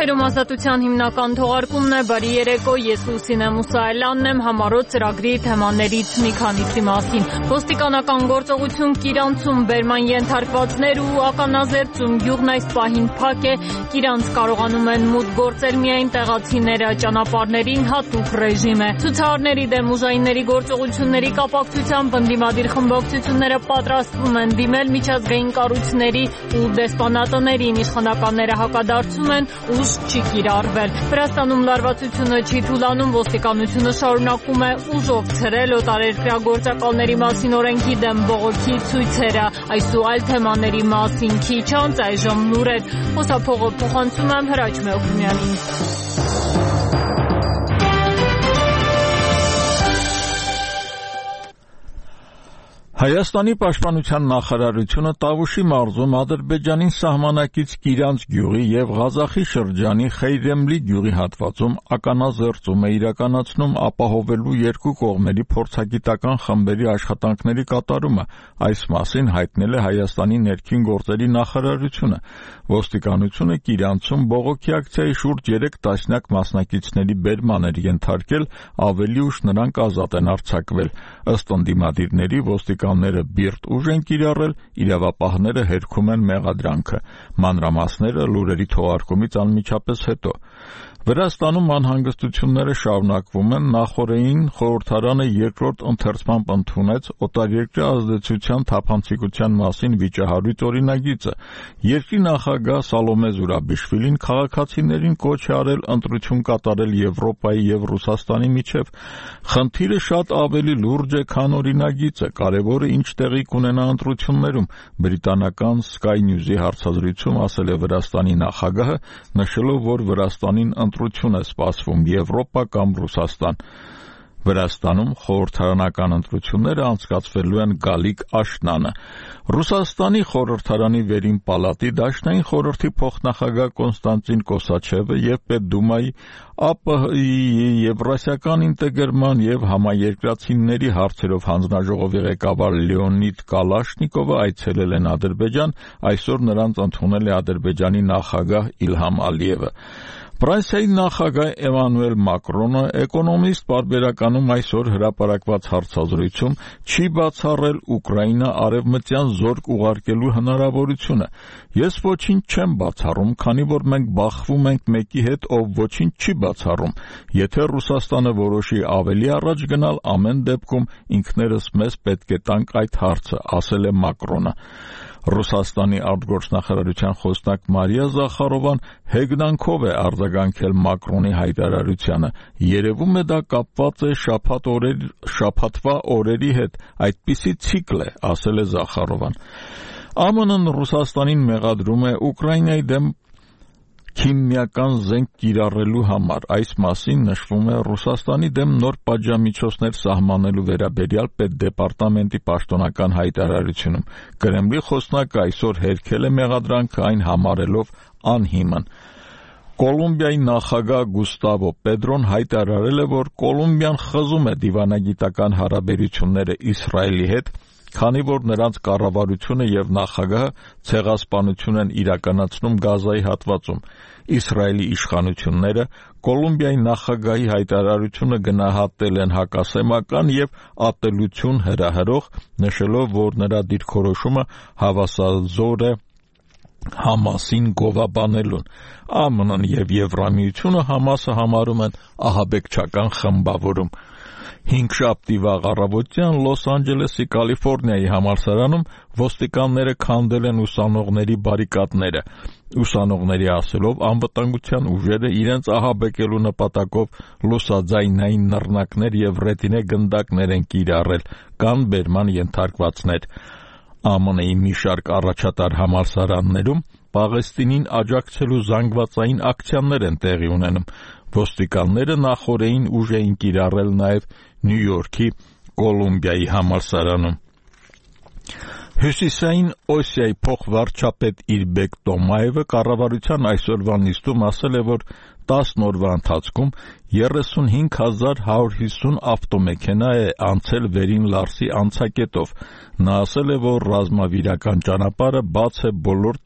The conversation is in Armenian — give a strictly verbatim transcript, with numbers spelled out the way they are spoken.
Եթերում ազատության հիմնական թողարկումն է, բարի երեկո, ես Լուսինե Մուսայելյանն եմ, համառոտ ծրագրի թեմաներից մի քանիսի մասին։ Ոստիկանական գործողություն Կիրանցում բերման ենթարկվածներ ու ականազերծում, գյուղն այս պահին փակ է, Կիրանց կարողանում են մուտք գործել միայն տեղացիները, ճանապարհներին հատուկ ռեժիմ է։ Ցուցարարների դեմ ուժայինների գործողությունների կապակցությամբ ընդդիմադիր խմբակցությունները պատրաստվում են դիմել միջազգային կառույցների ու դեսպանատներին, իշխանականները հակադարձում են, ուժ չի կիրառվել։ Վրաստանում լարվածությունը չի թուլանում, ոստիկանությունը շարունակում է ուժով ցրել օտարերկրյա գործակալների մասին օրենքի դեմ բողոքի ցույցերը։ Այս ու այլ թեմաների մասին քիչ անց այժմ լուրեր։ Խոսափողը փոխանցում եմ Հրաչ Մեոքիմյանին։ Հայաստանի պաշտպանության նախարարությունը Տավուշի մարզում Ադրբեջանին սահմանակից Կիրանց գյուղի եւ Ղազախի շրջանի Խեյրեմլի գյուղի հատվածում ականազերծում է իրականացնում ապահովելու երկու կողմերի փորձագիտական խմբերի աշխատանքների կատարումը։ Այս մասին հայտնել է Հայաստանի ներքին գործերի նախարարությունը։ Ոստիկանությունը Կիրանցում բողոքի ակցիայի շուրջ երեք տասնյակ մասնակիցների բերման էր ենթարկել, ավելի ուշ նրանք ազատ են արձակվել։ Ըստ ընդդիմադիրների ոստիկանները բիրտ ուժ են կիրառել, իրավապահները հերքում են մեղադրանքը։ Մանրամասները լուրերի թողարկումից անմիջապես հետո։ Վրաստանում անհանգստությունները շարունակվում են, նախօրեին խորհրդարանը երկրորդ ընթերցմամբ ընդունեց օտարերկրյա ազդեցության թափանցիկության մասին վիճահարույց օրինագիծը։ Երկրի նախագահ Սալոմե Զուրաբիշվիլին քաղաքացիներին կոչ է արել ընտրություն կատարել Եվրոպայի եւ Ռուսաստանի միջև։ Խնդիրը շատ ավելի լուրջ է, քան օրինագիծը, կարևորը ինչ տեղի կունենա ընտրություններում, բրիտանական Sky News-ի հարցազրույցում ասել է Վրաստանի նախագահը, նշելով, որ Վրաստանին ընտրություն է սպասվում Եվրոպա կամ Ռուսաստան։ Վրաստանում խորհրդարանական ընտրությունները անցկացվելու են գալիք աշնանը։ Ռուսաստանի խորհրդարանի վերին պալատի դաշնային խորհրդի փոխնախագահ Կոնստանտին Կոսաչևը եւ Պետդումայի ԱՊՀ-ի Եվրասիական ինտեգրման եւ համաերկրացիների հարցերով հանձնաժողովի ղեկավար Լեոնիդ Կալաշնիկովը այցելել են Ադրբեջան, այսօր նրանց ընդունել է Ադրբեջանի նախագահ Իլհամ Ալիևը։ Ֆրանսիայի նախագահ Էմանուել Մակրոնը Էկոնոմիստ պարբերականում այսօր հրապարակված հարցազրույցում չի բացառել Ուկրաինա արևմտյան զորք ուղարկելու հնարավորությունը։ Ես ոչինչ չեմ բացառում, քանի որ մենք բախվում ենք մեկի հետ, ով ոչինչ չի բացառում։ Եթե Ռուսաստանը որոշի ավելի առաջ գնալ, ամեն դեպքում ինքներս մեզ պետք է տանք այդ հարցը, ասել է Մակրոնը։ Ռուսաստանի արտգործնախարարության խոսնակ Մարիա Զախարովան հեգնանքով է արձագանքել Մակրոնի հայտարարությանը։ Երևում է դա կապված է շաբաթ օրեր, շաբաթվա օրերի հետ, այդպիսի ցիկլ է, ասել է Զախարովան։ ԱՄՆ-ն Ռուսաստանին մեղադրում է Ուկրաինայի դեմ քիմիական զենք կիրառելու համար։ Այս մասին նշվում է Ռուսաստանի դեմ նոր պատժամիջոցներ սահմանելու վերաբերյալ պետդեպարտամենտի պաշտոնական հայտարարությունում։ Կրեմլի խոսնակը այսօր հերքել է մեղադրանքը, այն համարելով անհիմն։ Կոլումբիայի նախագահ Գուստավո Պետրոն հայտարարել է, որ Կոլումբիան խզում է դիվանագիտական հարաբերությունները Իսրայելի հետ, քանի որ նրանց կառավարությունը եւ նախագահը ցեղասպանություն են իրականացնում Գազայի հատվածում։ Իսրայելի իշխանությունները Կոլումբիայի նախագահի հայտարարությունը գնահատել են հակասեմական եւ ատելություն հրահրող, նշելով, որ նրա դիրքորոշումը հավասարազոր է Համասին գովաբանելուն։ ԱՄՆ-ն եւ Եվրամիությունը Համասը համարում են ահաբեկչական խմբավորում։ Հինգշաբթի վաղ առավոտյան Լոս Անջելեսի Կալիֆոռնիայի համալսարանում ոստիկանները քանդել են ուսանողների բարիկադները։ Ուսանողների ասելով, անվտանգության ուժերը իրենց ահաբեկելու նպատակով լուսաձայնային նռնակներ եւ ռետինե գնդակներ են կիրառել, կան բերման ենթարկվածներ։ ԱՄՆ-ի մի շարք առաջատար համալսարաններում Պաղեստինին աջակցելու զանգվածային ակցիաներ են տեղի ունենում։ Ոստիկանները նախօրեին ուժ էին կիրառել նաև Նյու Յորքի Կոլումբիայի համալսարանում։ Հյուսիսային Օսիայի փոխվարչապետ Իրբեկ Տոմաևը կառավարության այսօրվա նիստում ասել է, որ տասն օրվա ընթացքում երեսունհինգ հազար հարյուր հիսուն ավտոմեքենա է անցել Վերին Լարսի անցակետով։ Նա ասել է, որ ռազմավիրական ճանապարհը բաց է բոլոր